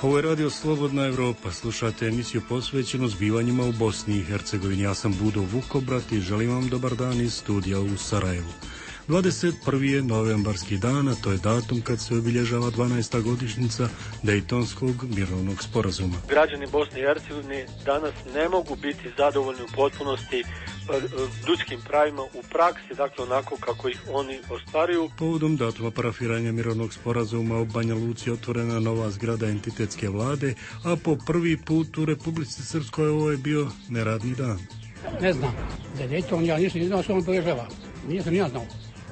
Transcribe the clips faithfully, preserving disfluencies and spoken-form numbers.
Ovo je radio Slobodna Evropa. Slušate emisiju posvećenu zbivanjima u Bosni i Hercegovini. Ja sam Budo Vukobrat i želim vam dobar dan iz studija u Sarajevu. dvadeset prvi je novembarski dan, a to je datum kad se obilježava dvanaesta godišnjica Dejtonskog mirovnog sporazuma. Građani Bosne i Hercegovine danas ne mogu biti zadovoljni u potpunosti ljudskim pravima u praksi, dakle onako kako ih oni ostvaruju. Povodom datuma parafiranja mirovnog sporazuma u Banja Luci otvorena nova zgrada entitetske vlade, a po prvi put u Republici Srpskoj ovo je bio neradni dan. Ne znam, za Dejton ja nisam znao što on obilježava, nisam ja znao.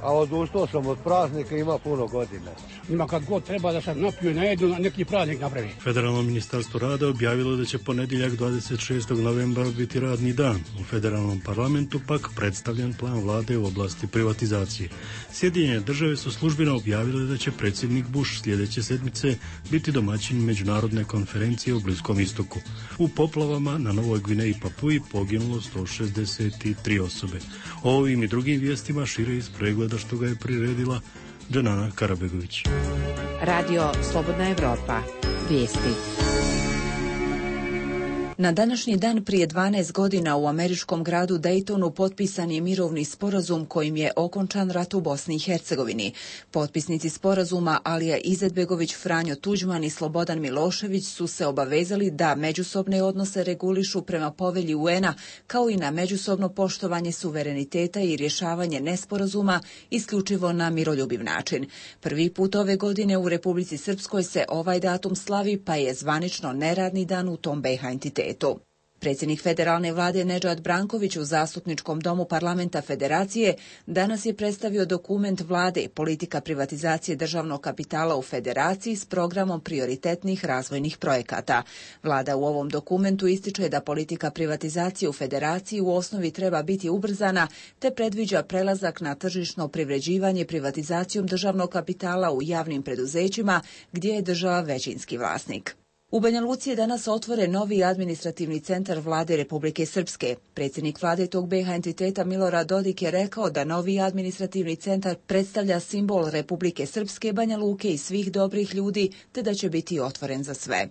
A odustao sam od praznika, ima puno godina. Ima kad god treba da se napiju i najedu, na neki praznik napravi. Federalno ministarstvo rada objavilo da će ponedjeljak dvadeset šestog novembra biti radni dan. U federalnom parlamentu pak predstavljen plan vlade u oblasti privatizacije. Sjedinjene države su službeno objavile da će predsjednik Bush sljedeće sedmice biti domaćin međunarodne konferencije u Bliskom istoku. U poplavama na Novoj Gvineji i Papuji poginulo sto šezdeset tri osobe. O ovim i drugim vijestima šire iz pregleda što ga je priredila Dženana Karabegović. Radio Slobodna Evropa. Vijesti. Na današnji dan prije dvanaest godina u američkom gradu Daytonu potpisan je mirovni sporazum kojim je okončan rat u Bosni i Hercegovini. Potpisnici sporazuma Alija Izetbegović, Franjo Tuđman i Slobodan Milošević su se obavezali da međusobne odnose regulišu prema povelji U N-a, kao i na međusobno poštovanje suvereniteta i rješavanje nesporazuma isključivo na miroljubiv način. Prvi put ove godine u Republici Srpskoj se ovaj datum slavi, pa je zvanično neradni dan u tom B iH entitetu. Predsjednik federalne vlade Nedžad Branković u Zastupničkom domu parlamenta Federacije danas je predstavio dokument vlade Politika privatizacije državnog kapitala u Federaciji s programom prioritetnih razvojnih projekata. Vlada u ovom dokumentu ističe da politika privatizacije u Federaciji u osnovi treba biti ubrzana, te predviđa prelazak na tržišno privređivanje privatizacijom državnog kapitala u javnim preduzećima gdje je država većinski vlasnik. U Banja Luci je danas otvoren novi administrativni centar vlade Republike Srpske. Predsjednik vlade tog B iH entiteta Milorad Dodik je rekao da novi administrativni centar predstavlja simbol Republike Srpske, Banja Luke i svih dobrih ljudi, te da će biti otvoren za sve.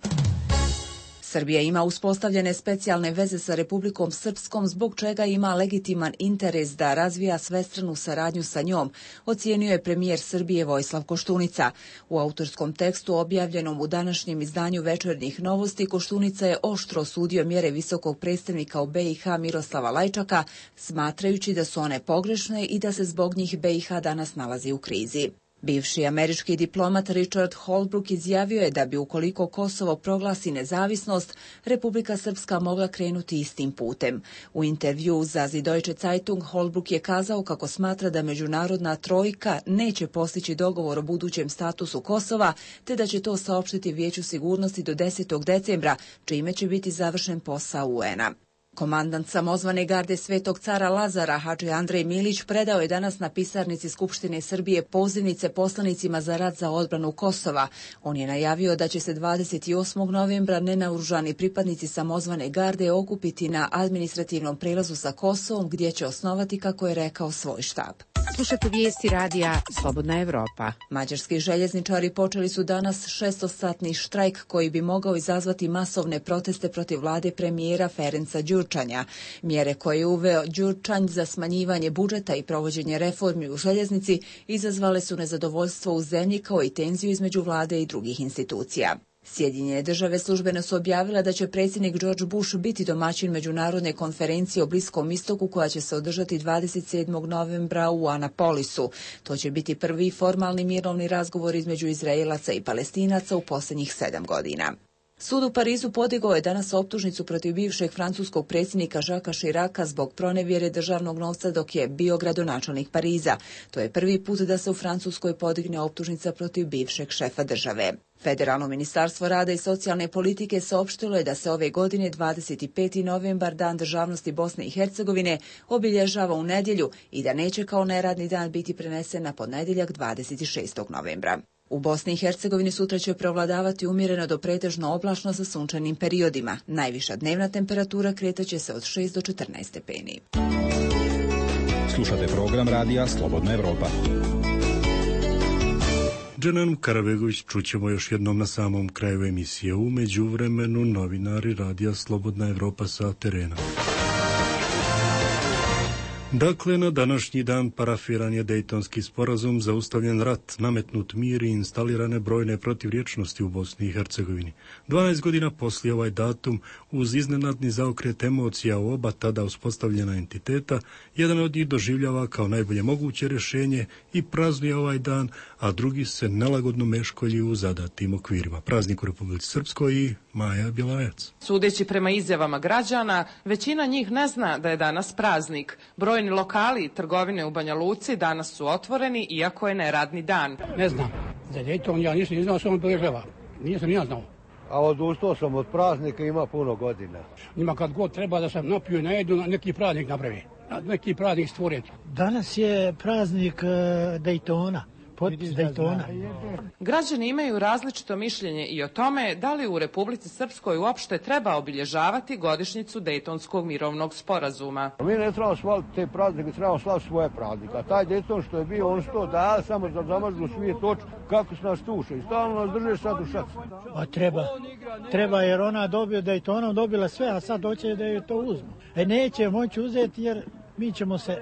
Srbija ima uspostavljene specijalne veze sa Republikom Srpskom, zbog čega ima legitiman interes da razvija svestranu saradnju sa njom, ocijenio je premijer Srbije Vojislav Koštunica. U autorskom tekstu objavljenom u današnjem izdanju Večernjih novosti, Koštunica je oštro osudio mjere visokog predstavnika u B iH Miroslava Lajčaka, smatrajući da su one pogrešne i da se zbog njih B iH danas nalazi u krizi. Bivši američki diplomat Richard Holbrooke izjavio je da bi ukoliko Kosovo proglasi nezavisnost, Republika Srpska mogla krenuti istim putem. U intervju za Die Deutsche Zeitung Holbrooke je kazao kako smatra da međunarodna trojka neće postići dogovor o budućem statusu Kosova, te da će to saopštiti Vijeću sigurnosti do desetog decembra, čime će biti završen posao U N-a. Komandant samozvane garde Svetog cara Lazara, Hadži Andrej Milić, predao je danas na pisarnici Skupštine Srbije pozivnice poslanicima za rat za odbranu Kosova. On je najavio da će se dvadeset osmog novembra nenaoružani pripadnici samozvane garde okupiti na administrativnom prelazu sa Kosovom, gdje će osnovati, kako je rekao, svoj štab. Slušate vijesti radija Slobodna Evropa. Mađarski željezničari počeli su danas šestosatni štrajk koji bi mogao izazvati masovne proteste protiv vlade premijera Ferenca Đurčanja. Mjere koje je uveo Đurčanj za smanjivanje budžeta i provođenje reformi u željeznici izazvale su nezadovoljstvo u zemlji, kao i tenziju između vlade i drugih institucija. Sjedinjene države službeno su objavile da će predsjednik George Bush biti domaćin međunarodne konferencije o Bliskom istoku koja će se održati dvadeset sedmog novembra u Anapolisu. To će biti prvi formalni mirovni razgovor između Izraelaca i Palestinaca u posljednjih sedam godina. Sud u Parizu podigao je danas optužnicu protiv bivšeg francuskog predsjednika Jacquesa Chiraca zbog pronevjere državnog novca dok je bio gradonačelnik Pariza. To je prvi put da se u Francuskoj podigne optužnica protiv bivšeg šefa države. Federalno ministarstvo rada i socijalne politike saopštilo je da se ove godine dvadeset peti novembar, Dan državnosti Bosne i Hercegovine, obilježava u nedjelju i da neće kao neradni dan biti prenesen na ponedjeljak dvadeset šestog novembra. U Bosni i Hercegovini sutra će prevladavati umjereno do pretežno oblačno sa sunčanim periodima. Najviša dnevna temperatura kretaće se od šest do četrnaest stepeni. Slušate program radija Slobodna Evropa. Dženanu Karabegović čućemo još jednom na samom kraju emisije. U međuvremenu novinari radija Slobodna Evropa sa terena. Dakle, na današnji dan parafiran je Dejtonski sporazum, zaustavljen rat, nametnut mir i instalirane brojne protivriječnosti u Bosni i Hercegovini. dvanaest godina poslije ovaj datum, uz iznenadni zaokret emocija u oba tada uspostavljena entiteta, jedan od njih doživljava kao najbolje moguće rješenje i praznuje ovaj dan, a drugi se nelagodno meškolji u zadatim okvirima. Praznik u Republici Srpskoj i Maja Bjelajac. Sudeći prema izjavama građana, većina njih ne zna da je danas praznik. Brojni lokali i trgovine u Banja Luci danas su otvoreni, iako je neradni dan. Ne znam. Za Dejton ja nisam znao što on obilježava. Nisam ja znao. A odustao sam od praznika, ima puno godina. Njima kad god treba da sam napiju i najedu, neki praznik napravi. Neki praznik stvoren. Danas je praznik uh, Dejtona. Potpis Dejtona. Građani imaju različito mišljenje i o tome da li u Republici Srpskoj uopšte treba obilježavati godišnjicu Dejtonskog mirovnog sporazuma. Mi ne trebamo slaviti te praznike, trebamo slaviti svoje praznike. A taj Dejton što je bio, on što da samo da zamažu svijet oči kako se nas tuše i stalno nas drže sad u šaci. A treba, treba jer ona dobio Dejtonom, dobila sve, a sad hoće da je to uzmu. E neće moći uzeti jer mi ćemo se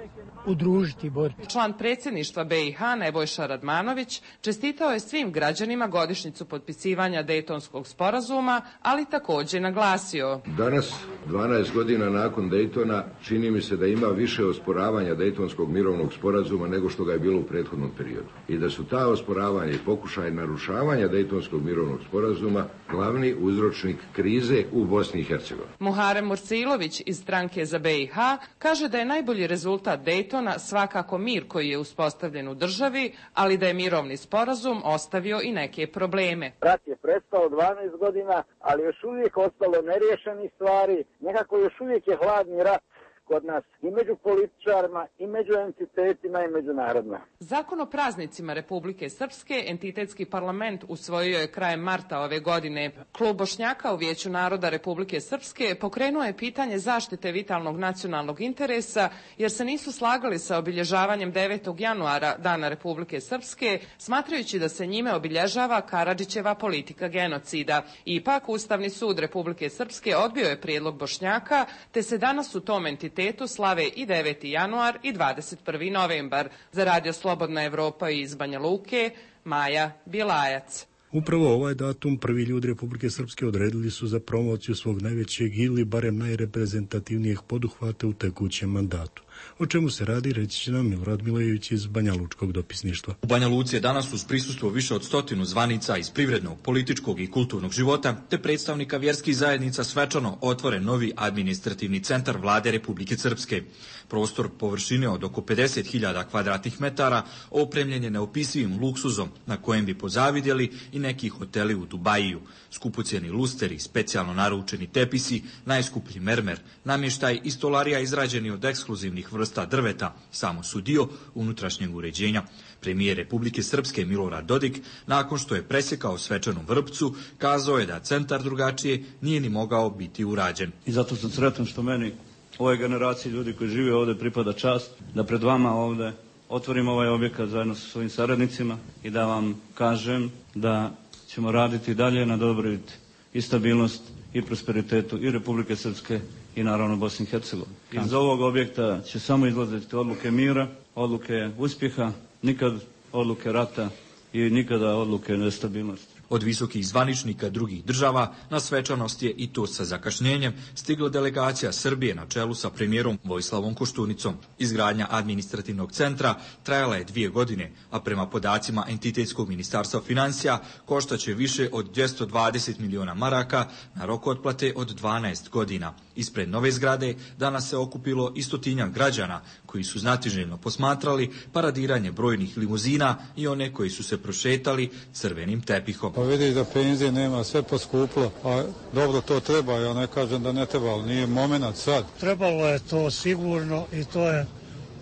udružiti, boriti. Član predsjedništva be i ha Nebojša Radmanović čestitao je svim građanima godišnjicu potpisivanja Dejtonskog sporazuma, ali također naglasio: danas, dvanaest godina nakon Dejtona, čini mi se da ima više osporavanja Dejtonskog mirovnog sporazuma nego što ga je bilo u prethodnom periodu. I da su ta osporavanja i pokušaj narušavanja Dejtonskog mirovnog sporazuma glavni uzročnik krize u Bosni i Hercegovini. Muharem Mursilović iz stranke za be i ha kaže da je najbolji rezultat Dejtona svakako mir koji je uspostavljen u državi, ali da je mirovni sporazum ostavio i neke probleme. Rat je prestao dvanaest godina, ali još uvijek ostalo neriješenih stvari. Nekako još uvijek je hladni rat kod nas i među političarima, i među entitetima, i međunarodno. Zakon o praznicima Republike Srpske entitetski parlament usvojio je krajem marta ove godine. Klub Bošnjaka u Vijeću naroda Republike Srpske pokrenuo je pitanje zaštite vitalnog nacionalnog interesa, jer se nisu slagali sa obilježavanjem devetog januara, Dana Republike Srpske, smatrajući da se njime obilježava Karadžićeva politika genocida. Ipak, Ustavni sud Republike Srpske odbio je prijedlog Bošnjaka, te se danas u tom entitetu slave i deveti januar i dvadeset prvi novembar. Za Radio Slobodna Evropa iz Banja Luke, Maja Bjelajac. Upravo ovaj datum prvi ljudi Republike Srpske odredili su za promociju svog najvećeg ili barem najreprezentativnijeg poduhvata u tekućem mandatu. O čemu se radi, reći će nam Milorad Milojević iz Banja Lučkog dopisništva. U Banja Luci je danas uz prisustvo više od stotinu zvanica iz privrednog, političkog i kulturnog života te predstavnika vjerskih zajednica svečano otvoren novi administrativni centar vlade Republike Srpske. Prostor površine od oko pedeset hiljada kvadratnih metara opremljen je neopisivim luksuzom na kojem bi pozavidjeli i neki hoteli u Dubajiju. Skupocjeni lusteri, specijalno naručeni tepisi, najskuplji mermer, namještaj i stolarija izrađeni od ekskluzivnih vrsta drveta samo su dio unutrašnjeg uređenja. Premijer Republike Srpske Milorad Dodik, nakon što je presjekao svečanu vrpcu, kazao je da centar drugačije nije ni mogao biti urađen. I zato sam sretan što meni, ovoj generaciji ljudi koji žive ovdje, pripada čast da pred vama ovdje otvorim ovaj objekat zajedno sa svojim saradnicima i da vam kažem da ćemo raditi dalje na dobrobit i stabilnost i prosperitetu i Republike Srpske i naravno Bosne i Hercegovine. Iz ovog objekta će samo izlaziti odluke mira, odluke uspjeha, nikad odluke rata i nikada odluke nestabilnosti. Od visokih zvaničnika drugih država na svečanost je, i to sa zakašnjenjem, stigla delegacija Srbije na čelu sa premijerom Vojislavom Koštunicom. Izgradnja administrativnog centra trajala je dvije godine, a prema podacima Entitetskog ministarstva financija koštaće više od dvjesto dvadeset miliona maraka na rok otplate od dvanaest godina. Ispred nove zgrade danas se okupilo i stotinjak građana koji su znatiželjno posmatrali paradiranje brojnih limuzina i one koji su se prošetali crvenim tepihom. Pa vidiš da penzije nema, sve poskuplo, a dobro to treba, ja ne kažem da ne treba, ali nije moment sad. Trebalo je to sigurno i to je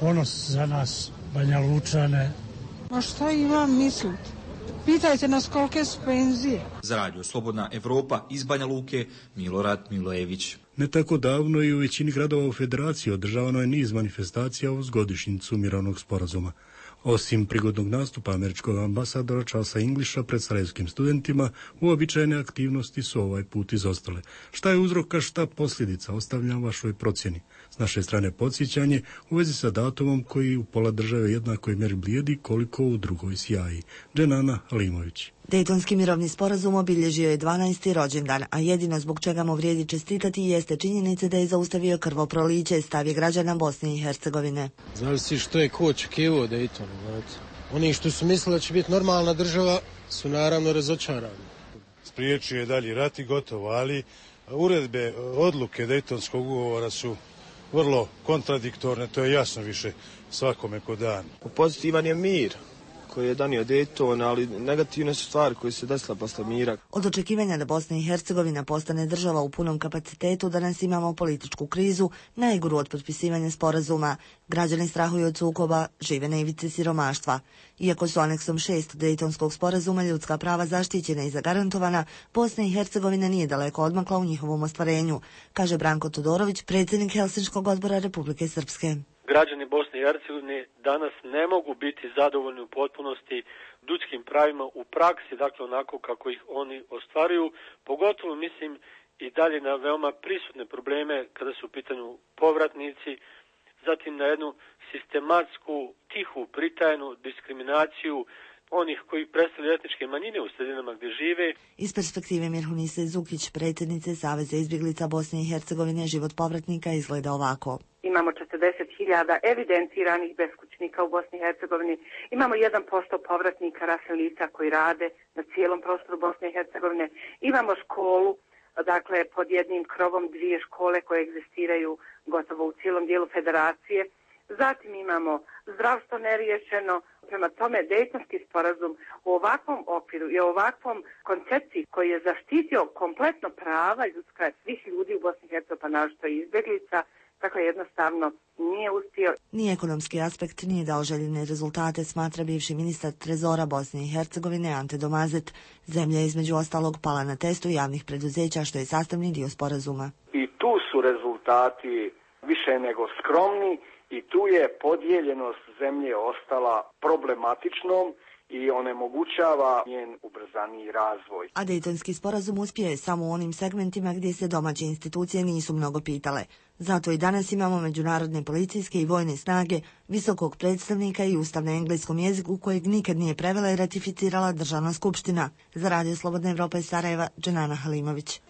ponos za nas, Banja Lučane. Ma šta imam misliti? Pitajte nas kolike su penzije. Za Radio Slobodna Evropa iz Banja Luke, Milorad Milojević. Ne tako davno i u većini gradova u Federaciji održavano je niz manifestacija uz godišnjicu mirovnog sporazuma. Osim prigodnog nastupa američkog ambasadora Charlesa Englisha pred sarajevskim studentima, uobičajene aktivnosti su ovaj put izostale. Šta je uzrok, a šta posljedica, ostavljam vašoj procjeni. S naše strane podsjećanje u vezi sa datumom koji u pola države jednakoj mjeri blijedi koliko u drugoj sjaji. Dženana Halimović. Dejtonski mirovni sporazum obilježio je dvanaesti rođendan, a jedino zbog čega mu vrijedi čestitati jeste činjenica da je zaustavio krvoproliće, stav je građana Bosne i Hercegovine. Znali si što je ko očekivao Dejtonu, znate? Oni što su mislili da će biti normalna država su naravno razočarani. Spriječio je dalji rat i gotovo, ali uredbe, odluke Dejtonskog ugovora su vrlo kontradiktorne, to je jasno više svakome ko dan. Pozitivan je mir koji je donio Dejton, ali negativne su stvari koje se desila posle mira. Od očekivanja da Bosna i Hercegovina postane država u punom kapacitetu, danas imamo političku krizu, najgoru od potpisivanja sporazuma. Građani strahuju od sukoba, žive na ivici siromaštva. Iako su aneksom šest Dejtonskog sporazuma ljudska prava zaštićena i zagarantovana, Bosna i Hercegovina nije daleko odmakla u njihovom ostvarenju, kaže Branko Todorović, predsjednik Helsinškog odbora Republike Srpske. Građani Bosne i Hercegovine danas ne mogu biti zadovoljni u potpunosti ljudskim pravima u praksi, dakle onako kako ih oni ostvaruju, pogotovo mislim i dalje na veoma prisutne probleme kada su u pitanju povratnici, zatim na jednu sistematsku, tihu, pritajnu diskriminaciju onih koji predstavljaju etničke manjine u sredinama gdje žive. Iz perspektive Mirhunise Zukić, predsjednice Saveza izbjeglica Bosne i Hercegovine, život povratnika izgleda ovako. Imamo četrdeset hiljada evidentiranih beskućnika u Bosni i Hercegovini. Imamo jedan posto povratnika rasnih lica koji rade na cijelom prostoru Bosne i Hercegovine. Imamo školu, dakle pod jednim krovom dvije škole koje egzistiraju gotovo u cijelom dijelu federacije. Zatim imamo zdravstvo neriješeno. Prema tome, Dejtonski sporazum u ovakvom okviru i ovakvom koncepciji koji je zaštitio kompletno prava ljudska svih ljudi u Bosni i Hercegovini, pa naročito i izbjeglica, tako jednostavno nije uspio. Ni ekonomski aspekt nije dao željene rezultate, smatra bivši ministar trezora Bosne i Hercegovine Ante Domazet. Zemlja je između ostalog pala na testu javnih preduzeća, što je sastavni dio sporazuma. I tu su rezultati više nego skromni i tu je podijeljenost zemlje ostala problematičnom i onemogućava njen ubrzaniji razvoj. A Dejtonski sporazum uspio je samo u onim segmentima gdje se domaće institucije nisu mnogo pitale. Zato i danas imamo međunarodne policijske i vojne snage, visokog predstavnika i ustav na engleskom jeziku kojeg nikad nije prevela i ratificirala Državna skupština. Za Radio Slobodna Evropa iz Sarajeva, Dženana Halimović.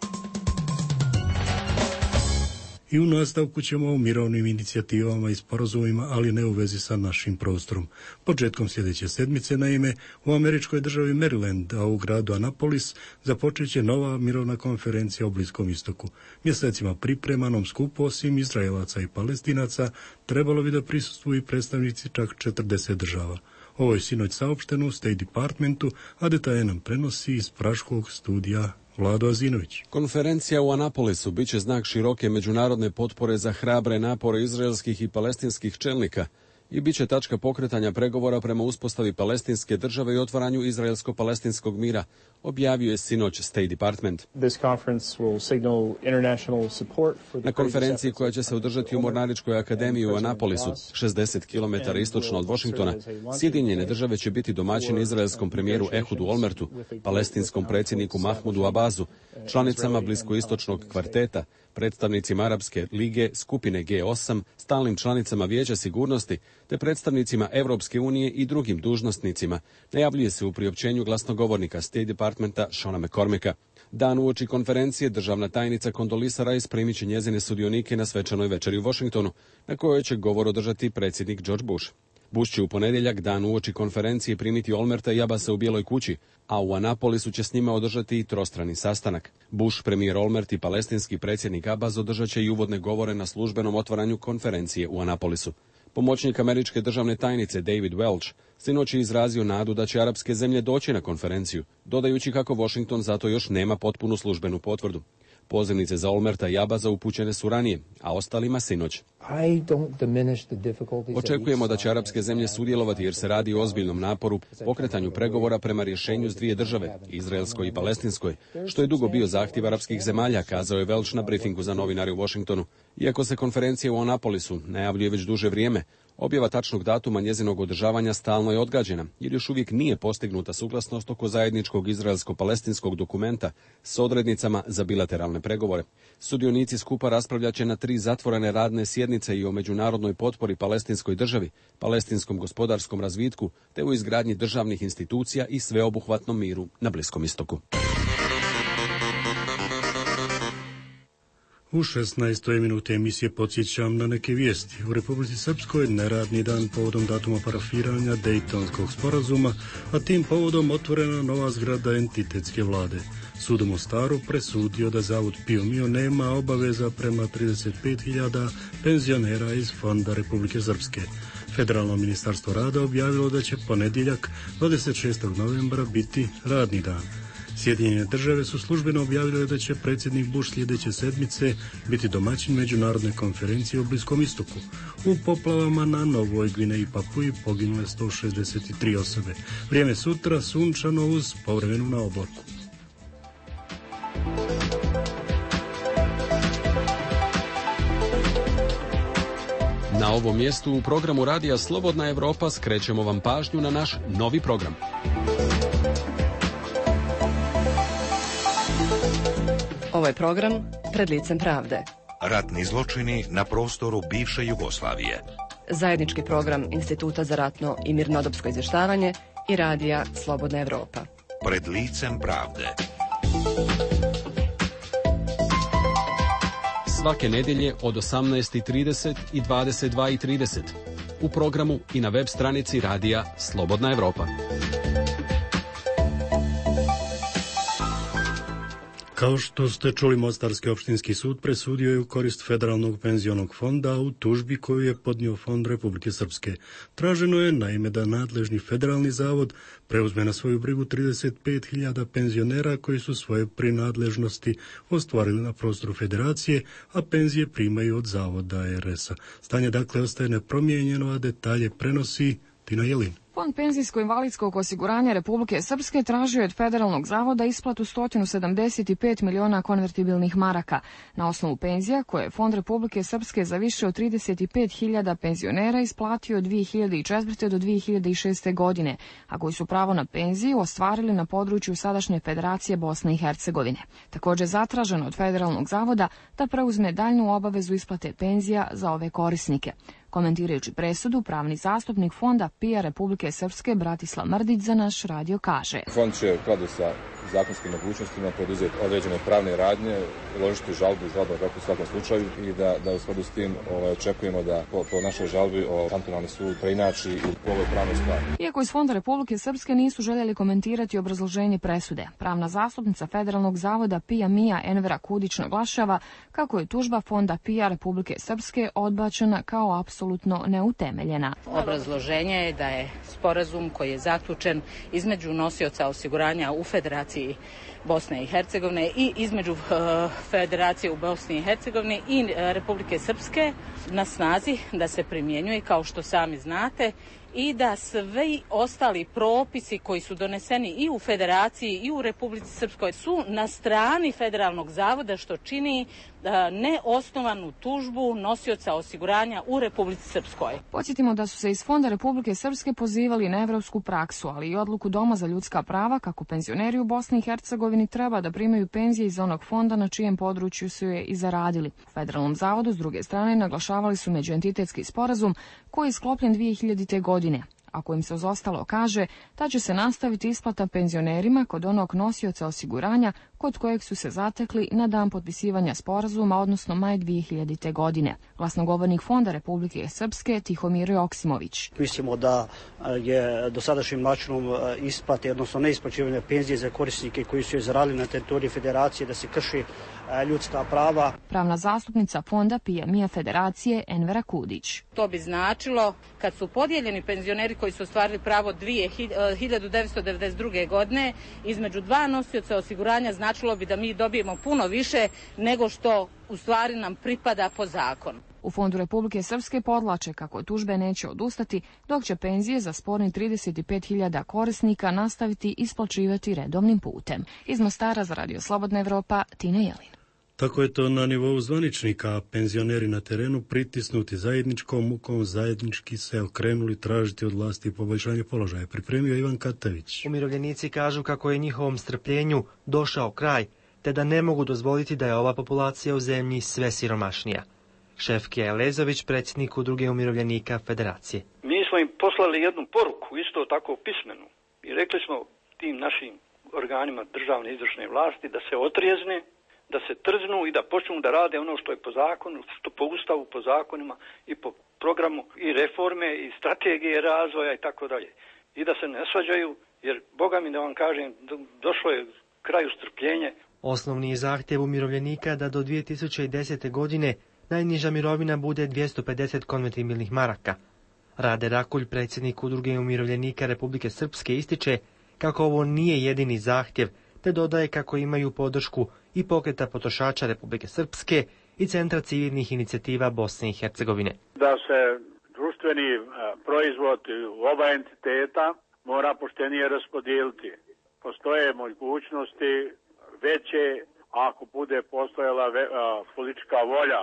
I u nastavku ćemo o mirovnim inicijativama i sporazumima, ali ne u vezi sa našim prostorom. Početkom sljedeće sedmice, naime, u američkoj državi Maryland, a u gradu Annapolis, započet će nova mirovna konferencija o Bliskom istoku. Mjesecima pripremanom skupu, osim Izraelaca i Palestinaca, trebalo bi da prisustvuju i predstavnici čak četrdeset država. Ovo je sinoć saopšteno u State Departmentu, a detalje nam prenosi iz praškog studija Vlado Azinović. Konferencija u Annapolisu biće znak široke međunarodne potpore za hrabre napore izraelskih i palestinskih čelnika i bit će tačka pokretanja pregovora prema uspostavi palestinske države i otvaranju izraelsko-palestinskog mira, objavio je sinoć State Department. Na konferenciji koja će se održati u Mornaričkoj akademiji u Annapolisu, šezdeset kilometara istočno od Washingtona, Sjedinjene države će biti domaćini izraelskom premijeru Ehudu Olmertu, palestinskom predsjedniku Mahmudu Abazu, članicama bliskoistočnog kvarteta, predstavnicima Arapske lige, skupine G osam, stalnim članicama Vijeća sigurnosti, te predstavnicima Evropske unije i drugim dužnosnicima, najavljuje se u priopćenju glasnogovornika State Departmenta Shona McCormicka. Dan uoči konferencije državna tajnica Condoleezza Rice primit će njezine sudionike na svečanoj večeri u Washingtonu, na kojoj će govor održati predsjednik George Bush. Bush će u ponedjeljak, dan uoči konferencije, primiti Olmerta i Abasa u Bijeloj kući, a u Annapolisu će s njima održati i trostrani sastanak. Bush, premijer Olmert i palestinski predsjednik Abbas održat će i uvodne govore na službenom otvaranju konferencije u Annapolisu. Pomoćnik američke državne tajnice David Welch sinoć je izrazio nadu da će arapske zemlje doći na konferenciju, dodajući kako Washington zato još nema potpunu službenu potvrdu. Pozivnice za Olmerta i Abasa upućene su ranije, a ostalima sinoć. Očekujemo da će arapske zemlje sudjelovati jer se radi o ozbiljnom naporu, pokretanju pregovora prema rješenju s dvije države, izraelskoj i palestinskoj, što je dugo bio zahtjev arapskih zemalja, kazao je Welch na briefingu za novinare u Washingtonu. Iako se konferencija u Anapolisu najavljuje već duže vrijeme, objava tačnog datuma njezinog održavanja stalno je odgađena, jer još uvijek nije postignuta suglasnost oko zajedničkog izraelsko-palestinskog dokumenta s odrednicama za bilateralne pregovore. Sudionici skupa raspravljat će na tri zatvorene radne sjednice i o međunarodnoj potpori palestinskoj državi, palestinskom gospodarskom razvitku, te u izgradnji državnih institucija i sveobuhvatnom miru na Bliskom istoku. U šesnaestoj minuti emisije podsjećam na neke vijesti. U Republici Srpskoj neradni dan povodom datuma parafiranja Dejtonskog sporazuma, a tim povodom otvorena nova zgrada entitetske vlade. Sud u Mostaru presudio da Zavod Pio Mio nema obaveza prema trideset pet hiljada penzionera iz Fonda Republike Srpske. Federalno ministarstvo rada objavilo da će ponedjeljak dvadeset šestog novembra biti radni dan. Sjedinjene države su službeno objavile da će predsjednik Bush sljedeće sedmice biti domaćin međunarodne konferencije u Bliskom istoku. U poplavama na Novoj Gvineji i Papuji poginule sto šezdeset tri osobe. Vrijeme sutra sunčano uz povremenu na oblaku. Na ovom mjestu u programu Radija Slobodna Evropa skrećemo vam pažnju na naš novi program. Ovo je program Pred licem pravde. Ratni zločini na prostoru bivše Jugoslavije. Zajednički program Instituta za ratno i mirnodopsko izvještavanje i Radija Slobodna Evropa. Pred licem pravde. Svake nedjelje od osamnaest i trideset i dvadeset dva i trideset. U programu i na web stranici Radija Slobodna Evropa. Kao što ste čuli, Mostarski opštinski sud presudio je u korist Federalnog penzionog fonda u tužbi koju je podnio Fond Republike Srpske. Traženo je naime da nadležni federalni zavod preuzme na svoju brigu trideset pet hiljada penzionera koji su svoje prinadležnosti ostvarili na prostoru federacije, a penzije primaju od zavoda R S a. Stanje dakle ostaje nepromijenjeno, a detalje prenosi Tina Jelin. Fond penzijsko-invalidskog osiguranja Republike Srpske tražio je od Federalnog zavoda isplatu sto sedamdeset pet miliona konvertibilnih maraka na osnovu penzija koje je Fond Republike Srpske za više od trideset pet hiljada penzionera isplatio od dvije hiljade četvrte do dvije hiljade šeste godine, a koji su pravo na penziju ostvarili na području sadašnje Federacije Bosne i Hercegovine. Također zatraženo od Federalnog zavoda da preuzme daljnju obavezu isplate penzija za ove korisnike. Komentirajući presudu, pravni zastupnik Fonda P I A Republike Srpske Bratislav Mrdić za naš radio kaže: Fond će u skladu sa zakonskim mogućnostima poduzeti određene pravne radnje, uložiti žalbu žalbu u svakom slučaju i da, da u skladu s tim ovaj, očekujemo da po, po našoj žalbi o kantonalni sud preinači u ovoj pravnoj stvari. Iako iz Fonda Republike Srpske nisu željeli komentirati obrazloženje presude, pravna zastupnica Federalnog zavoda P I A Mija Envera Kudić naglašava kako je tužba Fonda P I A Republike Srpske odbačena kao apsolutno neutemeljena. Obrazloženje je da je sporazum koji je zaključen između nosioca osiguranja u Federaciji Bosne i Hercegovine i između uh, Federacije u Bosni i Hercegovini i uh, Republike Srpske na snazi, da se primjenjuje kao što sami znate i da svi ostali propisi koji su doneseni i u Federaciji i u Republici Srpskoj su na strani Federalnog zavoda, što čini uh, neosnovanu tužbu nosioca osiguranja u Republici Srpskoj. Podsjetimo da su se iz Fonda Republike Srpske pozivali na evropsku praksu, ali i odluku Doma za ljudska prava kako penzioneri u Bosni i Hercegovini treba da primaju penzije iz onog fonda na čijem području su je i zaradili. U Federalnom zavodu, s druge strane, naglašavali su međuentitetski sporazum koji je sklopljen dvije hiljadite. godine. Ako im se uz ostalo kaže da će se nastaviti isplata penzionerima kod onog nosioca osiguranja kod kojeg su se zatekli na dan potpisivanja sporazuma, odnosno maj dvije hiljadite. godine. Glasnogovornik Fonda Republike Srpske Tihomir Joksimović. Mislimo da je dosadašnjim načinom isplate, odnosno neisplaćivanja penzije za korisnike koji su je zaradili na teritoriji Federacije, da se krši ljudska prava. Pravna zastupnica Fonda P I A Mija Federacije Envera Kudić. To bi značilo kad su podijeljeni penzioneri koji su ostvarili pravo hiljadu devetsto devedeset druge. godine između dva nosioca osiguranja, značilo bi da mi dobijemo puno više nego što u stvari nam pripada po zakonu. U Fondu Republike Srpske podlače kako tužbe neće odustati, dok će penzije za sporni trideset pet hiljada korisnika nastaviti isplaćivati redovnim putem. Iz Mostara za Radio Slobodna Evropa, Tina Jelin. Tako je to na nivou zvaničnika, a penzioneri na terenu pritisnuti zajedničkom mukom zajednički se okrenuli tražiti od vlasti poboljšanje položaja. Pripremio Ivan Katavić. Umirovljenici kažu kako je njihovom strpljenju došao kraj, te da ne mogu dozvoliti da je ova populacija u zemlji sve siromašnija. Šefkija Elezović, predsjednik Udruge umirovljenika Federacije. Mi smo im poslali jednu poruku, isto tako pismenu, i rekli smo tim našim organima državne izvršne vlasti da se otrijezne, da se trznu i da počnu da rade ono što je po zakonu, što po ustavu, po zakonima i po programu i reforme i strategije razvoja i tako dalje. I da se ne svađaju, jer Boga mi da vam kažem, došlo je kraju strpljenje. Osnovni je zahtjev umirovljenika da do dvije tisuće desete. godine najniža mirovina bude dvjesto pedeset konvertibilnih maraka. Rade Rakulj, predsjednik Udruge umirovljenika Republike Srpske, ističe kako ovo nije jedini zahtjev, te dodaje kako imaju podršku i Pokreta potrošača Republike Srpske i Centra civilnih inicijativa Bosne i Hercegovine. Da se društveni proizvod u oba entiteta mora poštenije raspodijeliti. Postoje mogućnosti veće ako bude postojala politička volja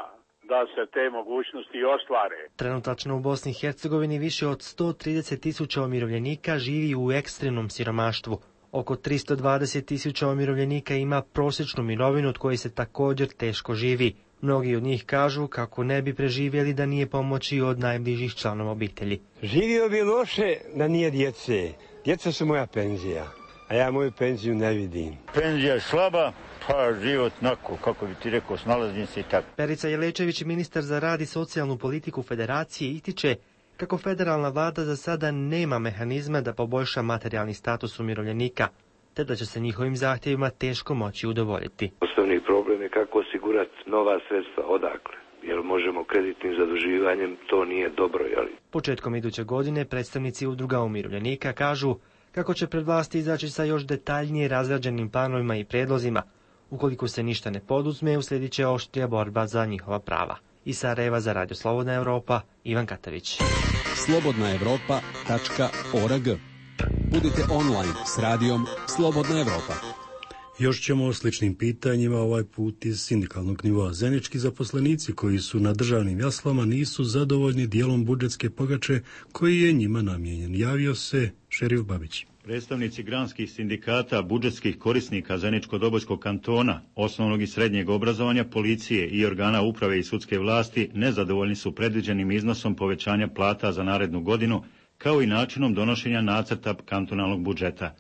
da se te mogućnosti ostvare. Trenutačno u Bosni i Hercegovini više od sto trideset tisuća umirovljenika živi u ekstremnom siromaštvu. Oko tristo dvadeset tisuća umirovljenika ima prosječnu mirovinu od koje se također teško živi. Mnogi od njih kažu kako ne bi preživjeli da nije pomoći od najbližih članova obitelji. Živio bi loše da nije djece. Djeca su moja penzija, a ja moju penziju ne vidim. Penzija je slaba, pa život nako, kako bi ti rekao, snalazim se i tako. Perica Jelečević, ministar za rad i socijalnu politiku Federacije, ističe kako federalna vlada za sada nema mehanizma da poboljša materijalni status umirovljenika, te da će se njihovim zahtjevima teško moći udovoljiti. Osnovni problem je kako osigurati nova sredstva, odakle, jer možemo kreditnim zaduživanjem, to nije dobro. Jeli? Početkom iduće godine predstavnici Udruga umirovljenika kažu kako će pred vlasti izaći sa još detaljnije razrađenim planovima i prijedlozima. Ukoliko se ništa ne poduzme, uslijedit će oštrija borba za njihova prava. Iz Sarajeva za Radio Slobodna Evropa, Ivan Katavić. slobodna evropa tačka org. Budite online s radijom Slobodna Evropa. Još ćemo o sličnim pitanjima, ovaj put iz sindikalnog nivoa. Zenički zaposlenici koji su na državnim jaslama nisu zadovoljni dijelom budžetske pogače koji je njima namijenjen. Javio se Šerif Babić. Predstavnici granskih sindikata, budžetskih korisnika Zeničko-Dobojskog kantona, osnovnog i srednjeg obrazovanja, policije i organa uprave i sudske vlasti nezadovoljni su predviđenim iznosom povećanja plata za narednu godinu, kao i načinom donošenja nacrta kantonalnog budžeta.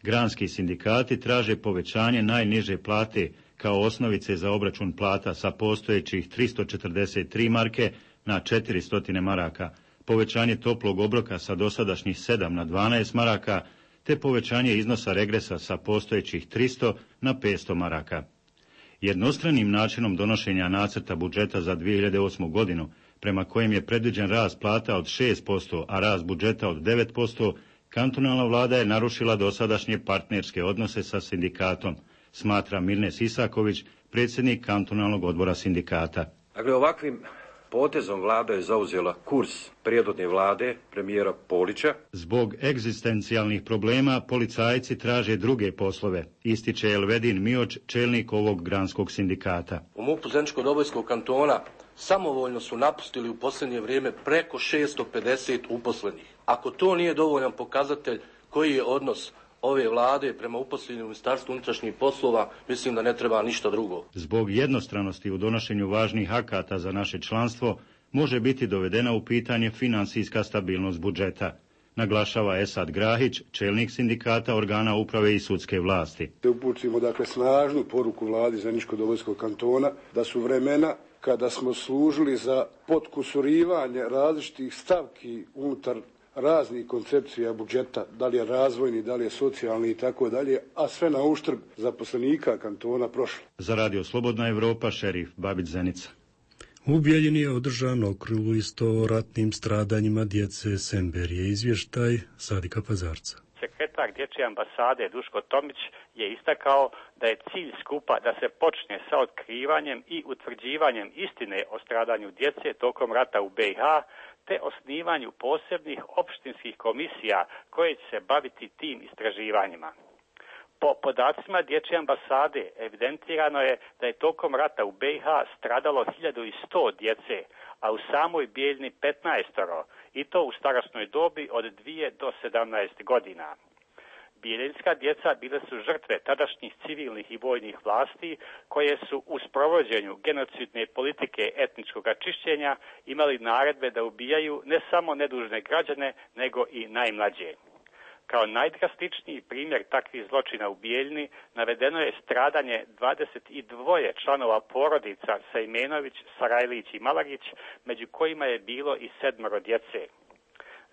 Granski sindikati traže povećanje najniže plate kao osnovice za obračun plata sa postojećih tristo četrdeset tri marke na četiristo maraka, povećanje toplog obroka sa dosadašnjih sedam na dvanaest maraka, te povećanje iznosa regresa sa postojećih tristo na petsto maraka. Jednostranim načinom donošenja nacrta budžeta za dvije hiljade osmu godinu, prema kojem je predviđen rast plata od šest posto, a rast budžeta od devet posto, kantonalna vlada je narušila dosadašnje partnerske odnose sa sindikatom, smatra Mirnes Isaković, predsjednik kantonalnog odbora sindikata. Dakle, ovakvim potezom vlada je zauzela kurs prijedodne vlade premijera Polića. Zbog egzistencijalnih problema policajci traže druge poslove, ističe Elvedin Mioč, čelnik ovog granskog sindikata. U MUP-u Zeničko-Dobojskog kantona samovoljno su napustili u posljednje vrijeme preko šesto pedeset uposlenih. Ako to nije dovoljan pokazatelj koji je odnos ove vlade prema uposlenim u Ministarstvu unutrašnjih poslova, mislim da ne treba ništa drugo. Zbog jednostranosti u donošenju važnih akata za naše članstvo može biti dovedena u pitanje financijska stabilnost budžeta, naglašava Esad Grahić, čelnik sindikata organa uprave i sudske vlasti. Upućujemo dakle snažnu poruku vladi Zeničko-Dobojskog kantona da su vremena kada smo služili za potkusurivanje različitih stavki unutar raznih koncepcija budžeta, da li je razvojni, da li je socijalni i tako dalje, a sve na uštrb zaposlenika kantona prošlo. Za Radio Slobodna Evropa, Šerif Babić, Zenica. U Bijeljini je održan okrugli sto o ratnim stradanjima djece Semberije. Izvještaj Sadika Pazarca. sekretar Dječje ambasade Duško Tomić je istakao da je cilj skupa da se počne sa otkrivanjem i utvrđivanjem istine o stradanju djece tokom rata u B i H, te osnivanju posebnih opštinskih komisija koje će se baviti tim istraživanjima. Po podacima Dječje ambasade evidentirano je da je tokom rata u B i H stradalo hiljadu sto djece, a u samoj Bijeljni petnaestoro, i to u starosnoj dobi od dvije do sedamnaest godina. Bijeljinska djeca bile su žrtve tadašnjih civilnih i vojnih vlasti koje su u sprovođenju genocidne politike etničkog čišćenja imali naredbe da ubijaju ne samo nedužne građane, nego i najmlađe. Kao najdrastičniji primjer takvih zločina u Bijeljni navedeno je stradanje dvadeset dva članova porodica Sejmenović, Sarajlić i Malagić, među kojima je bilo i sedmoro djece.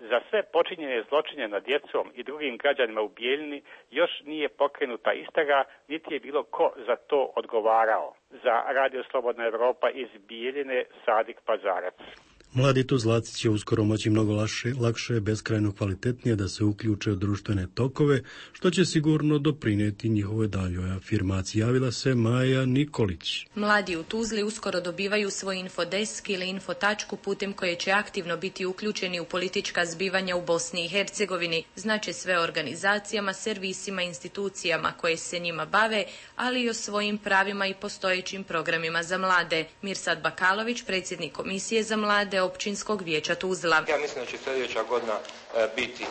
Za sve počinjene zločine nad djecom i drugim građanima u Bijeljni još nije pokrenuta istraga, niti je bilo ko za to odgovarao. Za Radio Slobodna Evropa iz Bijeljine, Sadik Pazarac. Mladi Tuzlaci će uskoro moći mnogo lakše, lakše, beskrajno kvalitetnije da se uključe u društvene tokove, što će sigurno doprinijeti njihovoj daljoj afirmaciji. Javila se Maja Nikolić. Mladi u Tuzli uskoro dobivaju svoj infodesk ili infotačku putem koje će aktivno biti uključeni u politička zbivanja u Bosni i Hercegovini, znači sve organizacijama, servisima, institucijama koje se njima bave, ali i o svojim pravima i postojećim programima za mlade. Mirsad Bakalović, predsjednik Komisije za mlade Općinskog vijeća Tuzla. Ja mislim da će sljedeća godina e, biti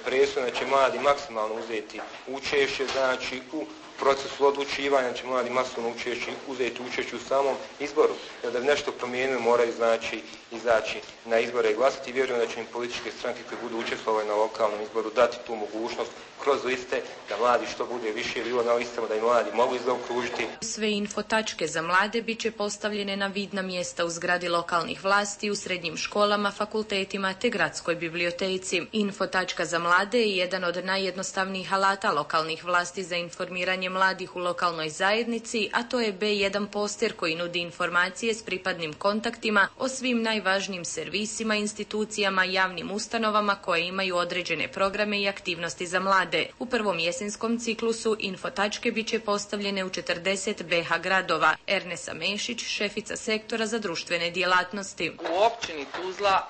presudna, da će mladi maksimalno uzeti učešće, znači u procesu odlučivanja, će mladi maksimalno učešće, uzeti učešće u samom izboru. Jer da bi nešto promijenili moraju znači izaći na izbore i glasati. Vjerujem da će im političke stranke koje budu učestvovali na lokalnom izboru dati tu mogućnost kroz liste, da mladi što bude više bilo na listama, da i mladi mogu zaokružiti. Sve infotačke za mlade bit će postavljene na vidna mjesta u zgradi lokalnih vlasti, u srednjim školama, fakultetima te gradskoj biblioteci. Infotačka za mlade je jedan od najjednostavnijih alata lokalnih vlasti za informiranje mladih u lokalnoj zajednici, a to je be jedan poster koji nudi informacije s pripadnim kontaktima o svim najvažnijim servisima, institucijama, javnim ustanovama koje imaju određene programe i aktivnosti za mlade. U prvom jesenskom ciklusu infotačke bit će postavljene u četrdeset be ha gradova. Ernesa Mešić, šefica sektora za društvene djelatnosti. U općini Tuzla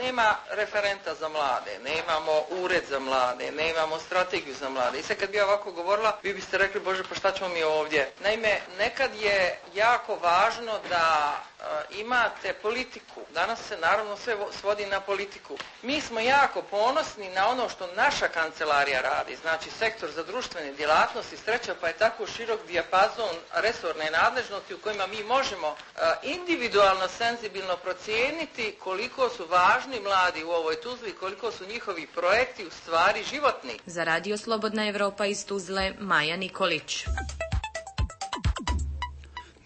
nema referenta za mlade, nemamo ured za mlade, nemamo strategiju za mlade. I sad kad bi ja ovako govorila, vi biste rekli, Bože, pa šta ćemo mi ovdje? Naime, nekad je jako važno da uh, imate politiku. Danas se naravno sve svodi na politiku. Mi smo jako ponosni na ono što naša kancelarija radi, znači sektor za društvene djelatnosti, sreća pa je tako širok dijapazon resorne nadležnosti u kojima mi možemo uh, individualno, senzibilno procijeniti koliko su važni mladi u ovoj Tuzli, koliko su njihovi projekti u stvari životni. Za Radio Slobodna Evropa iz Tuzle, Maja Nikolić.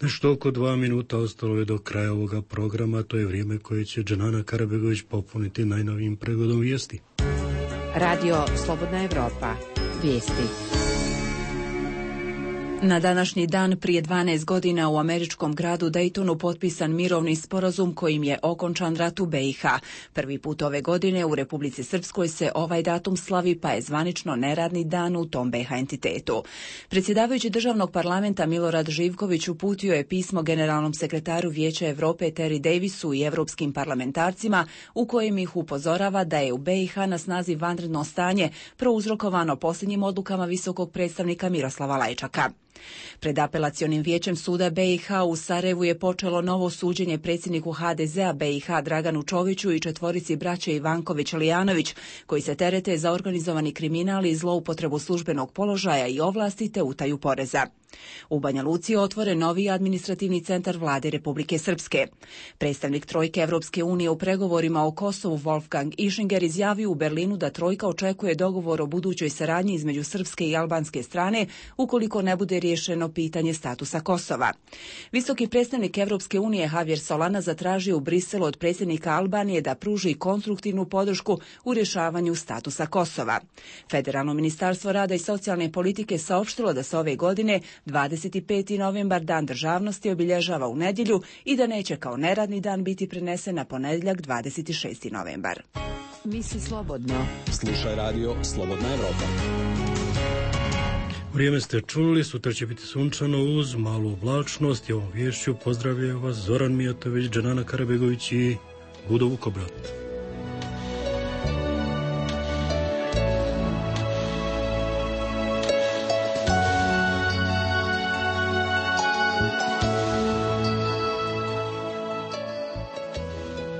Nešto oko dva minuta ostalo je do kraja ovoga programa, to je vrijeme koje će Dženana Karabegović popuniti najnovijim pregledom vijesti. Radio Slobodna Evropa, vijesti. Na današnji dan prije dvanaest godina u američkom gradu Daytonu potpisan mirovni sporazum kojim je okončan rat u be i ha. Prvi put ove godine u Republici Srpskoj se ovaj datum slavi, pa je zvanično neradni dan u tom be ha entitetu. Predsjedavajući državnog parlamenta Milorad Živković uputio je pismo generalnom sekretaru Vijeća Europe Terry Davisu i evropskim parlamentarcima u kojem ih upozorava da je u be i ha na snazi vanredno stanje prouzrokovano posljednjim odlukama visokog predstavnika Miroslava Lajčaka. Pred apelacionim vijećem suda be i ha u Sarajevu je počelo novo suđenje predsjedniku ha de zea be i ha Draganu Čoviću i četvorici braće Ivanković-Lijanović, koji se terete za organizovani kriminal i zloupotrebu službenog položaja i ovlasti te utaju poreza. U Banja Luci je otvoren novi administrativni centar vlade Republike Srpske. Predstavnik Trojke Evropske unije u pregovorima o Kosovu Wolfgang Ischinger izjavio u Berlinu da Trojka očekuje dogovor o budućoj saradnji između srpske i albanske strane ukoliko ne bude riješeno pitanje statusa Kosova. Visoki predstavnik Evropske unije Javier Solana zatražio u Briselu od predsjednika Albanije da pruži konstruktivnu podršku u rješavanju statusa Kosova. Federalno ministarstvo rada i socijalne politike saopštilo da se ove godine dvadeset peti novembar, dan državnosti, obilježava u nedjelju i da neće kao neradni dan biti prenesen na ponedjeljak dvadeset šesti novembar. Misli slobodno. Slušaj radio Slobodna Evropa. Vrijeme ste čuli, sutra će biti sunčano uz malu oblačnost i ovom vješću pozdravljaju vas Zoran Mijatović, Dženana Karabegović i Budo Vukobrat.